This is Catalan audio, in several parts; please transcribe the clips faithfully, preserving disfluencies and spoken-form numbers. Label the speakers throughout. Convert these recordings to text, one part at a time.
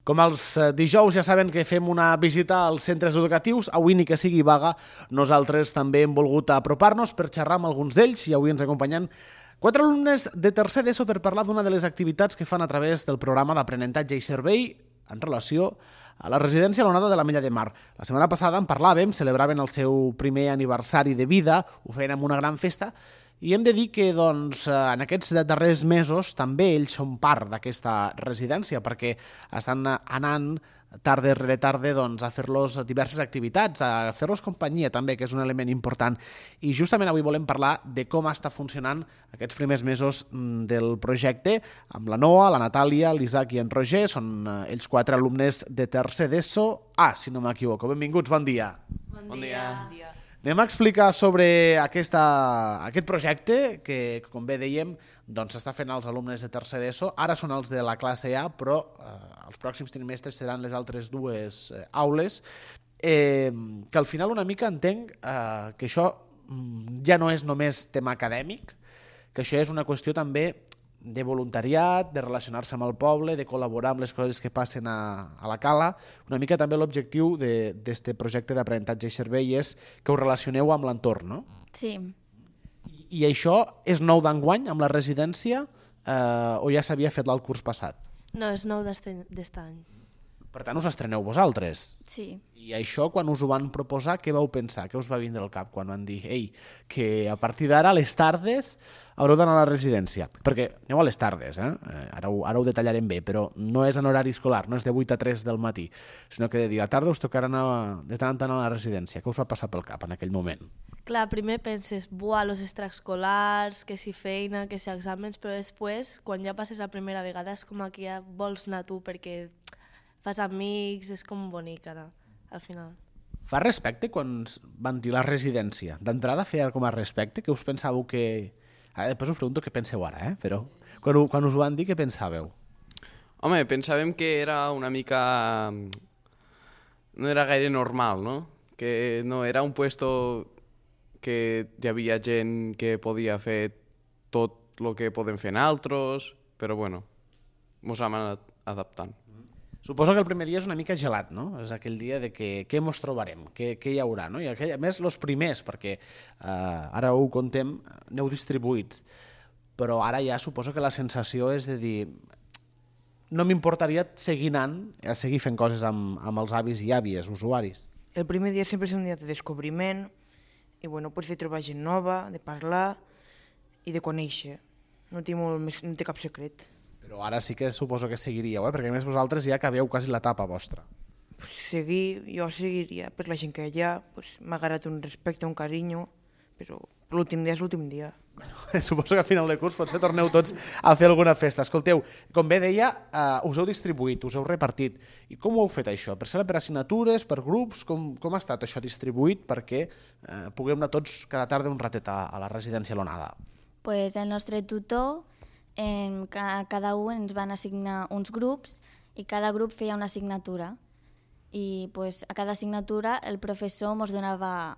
Speaker 1: Com els dijous ja saben que fem una visita als centres educatius, avui ni que sigui vaga, nosaltres també hem volgut apropar-nos per xerrar amb alguns d'ells i avui ens acompanyen quatre alumnes de tercer d'ESO per parlar d'una de les activitats que fan a través del programa d'aprenentatge i servei en relació a la residència a l'Onada de l'Ametlla de Mar. La setmana passada en parlàvem, celebraven el seu primer aniversari de vida, ho feien amb una gran festa, i hem de dir que doncs, en aquests darrers mesos també ells són part d'aquesta residència perquè estan anant tarda rere tarda doncs, a fer-los diverses activitats, a fer-los companyia també, que és un element important. I justament avui volem parlar de com està funcionant aquests primers mesos del projecte amb la Noa, la Natàlia, l'Isaac i en Roger. Són ells quatre alumnes de tercer d'ESO. Ah, si no m'equivoco. Benvinguts, bon dia.
Speaker 2: Bon, bon dia. dia.
Speaker 1: Anem a explicar sobre aquesta, aquest projecte que, com bé dèiem, doncs s'està fent als alumnes de tercer d'ESO. Ara són els de la classe A, però eh, els pròxims trimestres seran les altres dues eh, aules, eh, que al final una mica entenc eh, que això ja no és només tema acadèmic, que això és una qüestió també de voluntariat, de relacionar-se amb el poble, de col·laborar amb les coses que passen a, a la cala. Una mica també l'objectiu d'aquest projecte d'aprenentatge i servei és que us relacioneu amb l'entorn, no?
Speaker 2: Sí.
Speaker 1: I, I això és nou d'enguany amb la residència eh, o ja s'havia fet el curs passat?
Speaker 3: No, és nou d'est any.
Speaker 1: Per tant, us estreneu vosaltres.
Speaker 2: Sí.
Speaker 1: I això, quan us ho van proposar, què vau pensar? Què us va vindre al cap quan van dir ei, que a partir d'ara, a les tardes, haureu d'anar a la residència? Perquè aneu a les tardes, eh? Ara, ho, ara ho detallarem bé, però no és en horari escolar, no és de vuit a tres del matí, sinó que de dia a tarda us tocarà anar de tant en tant a la residència. Què us va passar pel cap en aquell moment?
Speaker 3: Clar, primer penses, buah, los extraescolars, que si feina, que si exàmens, però després, quan ja passes la primera vegada, és com que ja vols anar tu perquè fas amics, és com bonic ara, al final.
Speaker 1: Fa respecte quan van dir la residència? D'entrada feia com a respecte, que us pensàveu que... Ara, després us pregunto què penseu ara, eh? Però quan, quan us ho van dir, què pensàveu?
Speaker 4: Home, pensàvem que era una mica... No era gaire normal, no? Que no era un puesto que hi havia gent que podia fer tot el que podem fer nosaltres, però bueno, mos hem anat adaptant.
Speaker 1: Suposo que el primer dia és una mica gelat, no? És aquell dia de que què mos trobarem, què, què hi haurà, no? I aquell, a més, els primers, perquè eh, ara ho contem, aneu distribuïts, però ara ja suposo que la sensació és de dir no m'importaria seguir anant, a seguir fent coses amb, amb els avis i àvies, usuaris.
Speaker 5: El primer dia sempre és un dia de descobriment i bueno, pues de trobar gent nova, de parlar i de conèixer. No té, molt més, no té cap secret.
Speaker 1: Però ara sí que suposo que seguiríeu, eh? Perquè a més vosaltres ja acabeu quasi l'etapa vostra.
Speaker 5: Pues seguir, jo seguiria per la gent que hi ha, pues, m'ha agarrat un respecte, un carinyo, però l'últim dia és l'últim dia.
Speaker 1: Bueno, suposo que a final de curs potser torneu tots a fer alguna festa. Escolteu, com bé deia, eh, us heu distribuït, us heu repartit. I com ho heu fet això? Per ser per assignatures, per grups? Com, com ha estat això distribuït perquè eh, puguem anar tots cada tarda un ratet a, a la residència a l'Onada?
Speaker 2: Pues el nostre tutor, en cada un ens van assignar uns grups i cada grup feia una assignatura. I pues, a cada assignatura el professor ens donava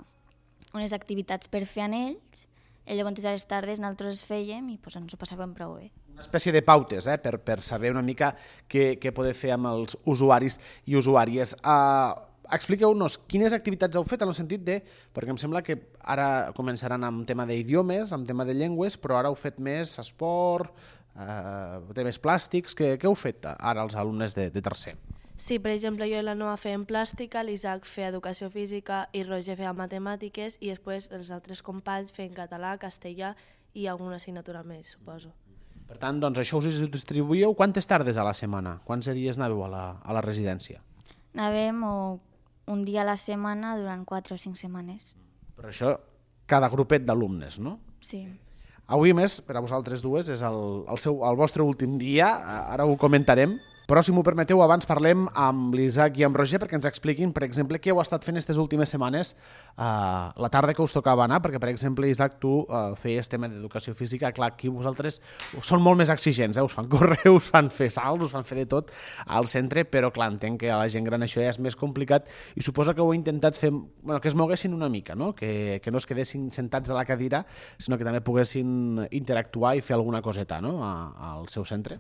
Speaker 2: unes activitats per fer en ells, i llavors a les tardes nosaltres fèiem i pues, ens ho passàvem prou bé.
Speaker 1: Una espècie de pautes, eh, per, per saber una mica què, què poder fer amb els usuaris i usuàries. Uh, Expliqueu-nos quines activitats heu fet en el sentit de... Perquè em sembla que ara començaran amb tema d'idiomes, amb tema de llengües, però ara heu fet més esport, eh, temes plàstics... Què, què heu fet ara els alumnes de, de tercer?
Speaker 3: Sí, per exemple, jo i la Noa fèiem plàstica, l'Isaac feia educació física i Roger feia matemàtiques i després els altres companys feien català, castellà i alguna assignatura més, suposo.
Speaker 1: Per tant, doncs això us distribuïeu quantes tardes a la setmana? Quants dies anàveu a la, a la residència?
Speaker 2: Anàvem o un dia a la setmana durant quatre o cinc setmanes.
Speaker 1: Però això, cada grupet d'alumnes, no?
Speaker 2: Sí.
Speaker 1: Avui, més, per a vosaltres dues, és el, el, seu, el vostre últim dia, ara ho comentarem, però si m'ho permeteu, abans parlem amb l'Isaac i amb Roger perquè ens expliquin, per exemple, què heu estat fent aquestes últimes setmanes eh, la tarda que us tocava anar, perquè, per exemple, Isaac, tu eh, feies tema d'educació física, clar, aquí vosaltres són molt més exigents, eh? Us fan córrer, us fan fer salts, us fan fer de tot al centre, però, clar, entenc que a la gent gran això ja és més complicat i suposo que heu intentat fer, bueno, que es moguessin una mica, no? Que, que no es quedessin sentats a la cadira, sinó que també poguessin interactuar i fer alguna coseta, no? A, al seu centre.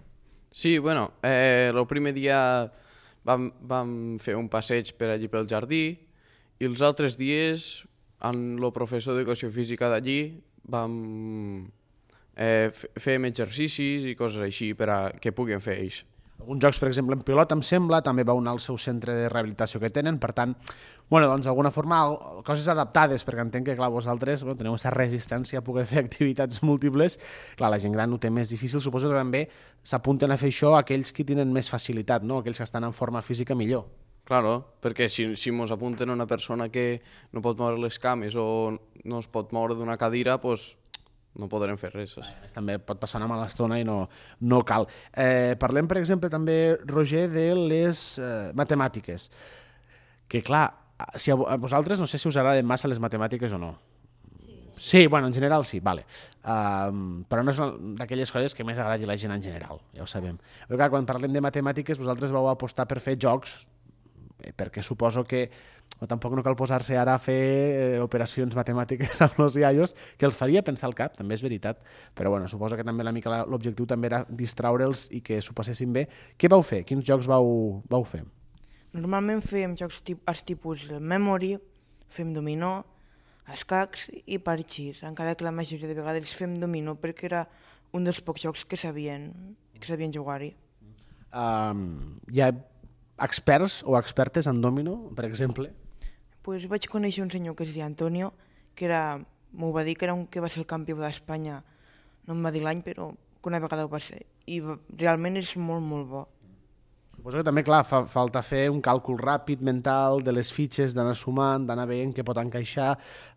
Speaker 4: Sí, bueno, eh, el primer dia vam, vam fer un passeig per allí pel jardí i els altres dies, amb el professor d'educació física d'allí, vam eh, fem exercicis i coses així per a que puguin fer ells.
Speaker 1: Alguns jocs, per exemple, en pilota, em sembla, també vau anar al seu centre de rehabilitació que tenen, per tant, bueno, doncs d'alguna forma, coses adaptades, perquè entenc que, clar, vosaltres bueno, teniu aquesta resistència a poder fer activitats múltiples. Clar, la gent gran ho té més difícil, suposo que també s'apunten a fer això aquells que tenen més facilitat, no? Aquells que estan en forma física millor.
Speaker 4: Claro, perquè si, si mos apunten a una persona que no pot moure les cames o no es pot moure d'una cadira, doncs no podrem fer res.
Speaker 1: A més, també pot passar una mala estona i no, no cal. Eh, parlem, per exemple, també, Roger, de les eh, matemàtiques. Que, clar, si a vosaltres no sé si us agraden massa les matemàtiques o no. Sí, sí bueno, en general sí, vale. Um, però no és d'aquelles coses que més agradi la gent en general, ja ho sabem. Però, clar, quan parlem de matemàtiques, vosaltres vau apostar per fer jocs, perquè suposo que o tampoc no cal posar-se ara a fer eh, operacions matemàtiques amb els iaios, que els faria pensar al cap, també és veritat, però bueno, suposo que també la mica l'objectiu també era distraure'ls i que s'ho passessin bé. Què vau fer? Quins jocs vau, vau fer?
Speaker 5: Normalment fem jocs tip, els tipus del Memory, fem dominó, escacs i parxís, encara que la majoria de vegades fem dominó perquè era un dels pocs jocs que sabien, que sabien jugar-hi.
Speaker 1: Um, hi ha experts o expertes en domino, per exemple?
Speaker 5: Pues vaig conèixer un senyor que es deia Antonio, que era, m'ho va dir que era un que va ser el campió d'Espanya, no em va dir l'any, però que una vegada ho va ser, i realment és molt, molt bo.
Speaker 1: Suposo que també, clar, fa falta fer un càlcul ràpid, mental, de les fitxes, d'anar sumant, d'anar veient què pot encaixar,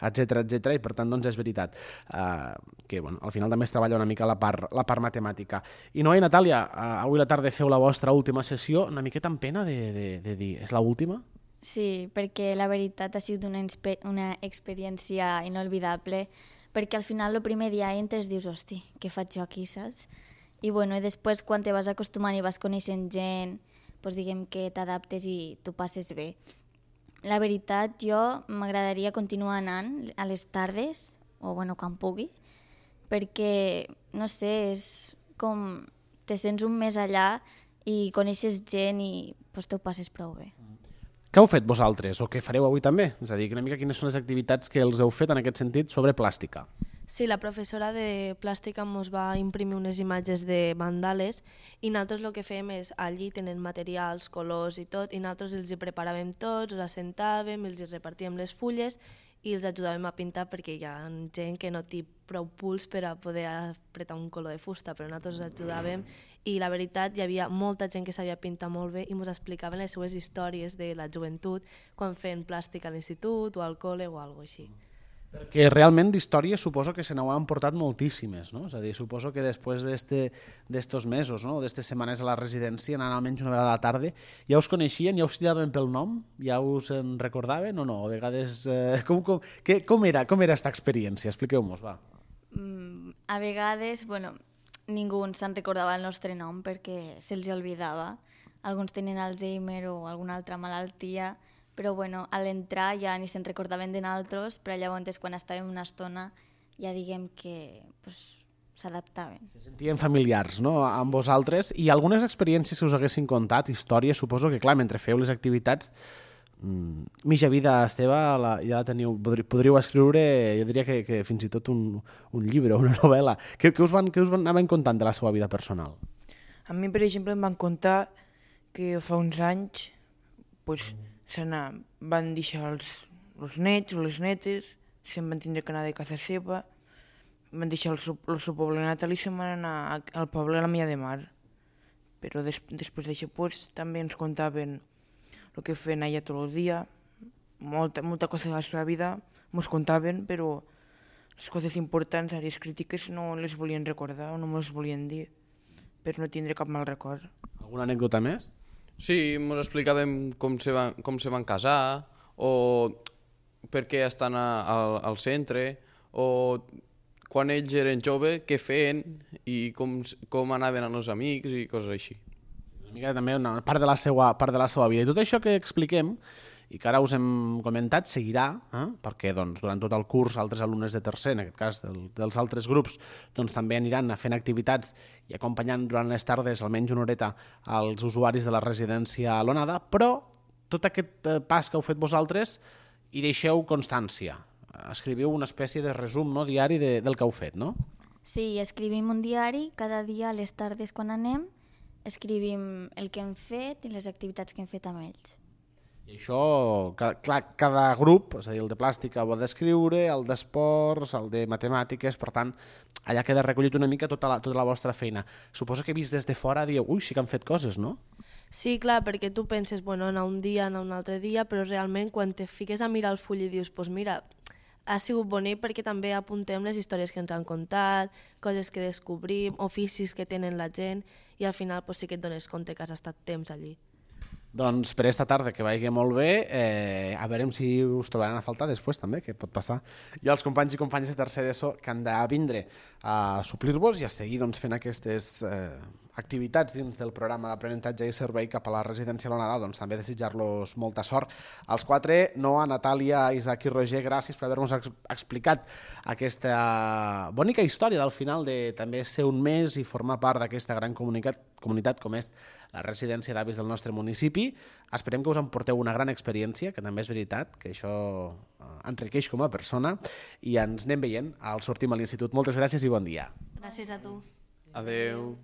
Speaker 1: etcètera, etcètera, i per tant, doncs és veritat uh, que, bueno, al final també es treballa una mica la part, la part matemàtica. I Noa i Natàlia, uh, avui a la tarda feu la vostra última sessió, una miqueta amb pena de, de, de dir, és l'última?
Speaker 2: Sí, perquè la veritat ha sigut una, una experiència inolvidable, perquè al final el primer dia entres dius, hosti, què faig jo aquí, saps? I, bueno, i després quan te vas acostumant i vas coneixent gent, doncs diguem que t'adaptes i t'ho passes bé. La veritat, jo m'agradaria continuar anant a les tardes, o bueno, quan pugui, perquè, no sé, és com te sents un mes allà i coneixes gent i doncs, t'ho passes prou bé.
Speaker 1: Què heu fet vosaltres o què fareu avui també? És a dir, una mica quines són les activitats que els heu fet en aquest sentit sobre plàstica?
Speaker 3: Sí, la professora de plàstica ens va imprimir unes imatges de mandales i nosaltres el que fem és, allí tenen materials, colors i tot, i nosaltres els hi preparàvem tots, els assentàvem, els hi repartíem les fulles i els ajudàvem a pintar perquè hi ha gent que no té prou puls per a poder apretar un color de fusta, però nosaltres els ajudàvem i la veritat hi havia molta gent que sabia pintar molt bé i ens explicaven les seues històries de la joventut quan feien plàstica a l'institut o al col·le o alguna cosa així.
Speaker 1: Perquè realment d'històries suposo que se n'ho han portat moltíssimes, no? És a dir, suposo que després d'estos mesos, no? D'estes setmanes a la residència, anant almenys una vegada a la tarda, ja us coneixien, ja us cridaven pel nom, ja us en recordaven o no? A vegades, eh, com, com, que, com era com era esta experiència? Expliqueu-nos, va.
Speaker 2: Mm, a vegades, bueno, ningú se'n recordava el nostre nom perquè se'ls oblidava. Alguns tenen Alzheimer o alguna altra malaltia, però bueno, a l'entrar ja ni se'n recordaven de nosaltres, però llavors quan estàvem una estona ja diguem que pues, s'adaptaven.
Speaker 1: Se sentien familiars, no?, amb vosaltres. I algunes experiències que us haguessin contat, històries, suposo que, clar, mentre feu les activitats, mmm, mitja vida Esteve la, ja la teniu, podríeu, podríeu escriure, jo diria que, que fins i tot un, un llibre, una novel·la. Què, què, us van, què us van anaven contant de la seva vida personal?
Speaker 5: A mi, per exemple, em van contar que fa uns anys pues, van deixar els, els nets o les netes, se'n van tindre que anar de casa seva, van deixar el seu, el seu poble natal i se'n van anar al poble a la Milla de Mar. Però des, després d'això pues, també ens contaven el que feien allà tot el dia, molta, molta cosa de la seva vida ens contaven, però les coses importants, àrees crítiques, no les volien recordar o no ens volien dir, per no tindre cap mal record.
Speaker 1: Alguna anècdota més?
Speaker 4: Sí, ens explicàvem com se van, com se van casar, o per què estan a, a, al centre, o quan ells eren joves, què feien i com, com anaven amb els amics i coses així.
Speaker 1: Una mica també una part de la seva, part de la seva vida. I tot això que expliquem i que ara us hem comentat seguirà, eh? perquè doncs, durant tot el curs altres alumnes de tercer, en aquest cas del, dels altres grups, doncs, també aniran fent activitats i acompanyant durant les tardes almenys una horeta als usuaris de la residència a l'Onada, però tot aquest pas que heu fet vosaltres hi deixeu constància. Escriviu una espècie de resum, no, diari de, del que heu fet, no?
Speaker 2: Sí, escrivim un diari, cada dia a les tardes quan anem, escrivim el que hem fet i les activitats que hem fet amb ells.
Speaker 1: I això, clar, cada grup, és a dir, el de plàstica ho ha d'escriure, el d'esports, el de matemàtiques, per tant, allà queda recollit una mica tota la, tota la vostra feina. Suposo que vist des de fora dieu, ui, sí que han fet coses, no?
Speaker 3: Sí, clar, perquè tu penses, bueno, anar un dia, anar un altre dia, però realment quan te fiques a mirar el full i dius, doncs pues mira, ha sigut bonic perquè també apuntem les històries que ens han contat, coses que descobrim, oficis que tenen la gent, i al final pues, sí que et dones compte que has estat temps allí.
Speaker 1: Doncs per esta tarda que vagi molt bé, eh, a veure si us trobaran a faltar després també, que pot passar. Hi ha els companys i companyes de tercer d'ESO que han de vindre a suplir-vos i a seguir doncs, fent aquestes eh, activitats dins del programa d'aprenentatge i servei cap a la residència a l'Onada, doncs també desitjar-los molta sort. Als quatre, Noa, Natàlia, Isaac i Roger, gràcies per haver-nos ex explicat aquesta bonica història del final de també ser un mes i formar part d'aquesta gran comunitat, comunitat com és la residència d'avis del nostre municipi. Esperem que us emporteu una gran experiència, que també és veritat, que això enriqueix com a persona, i ens anem veient al sortim a l'institut. Moltes gràcies i bon dia.
Speaker 3: Gràcies a tu.
Speaker 4: Adeu.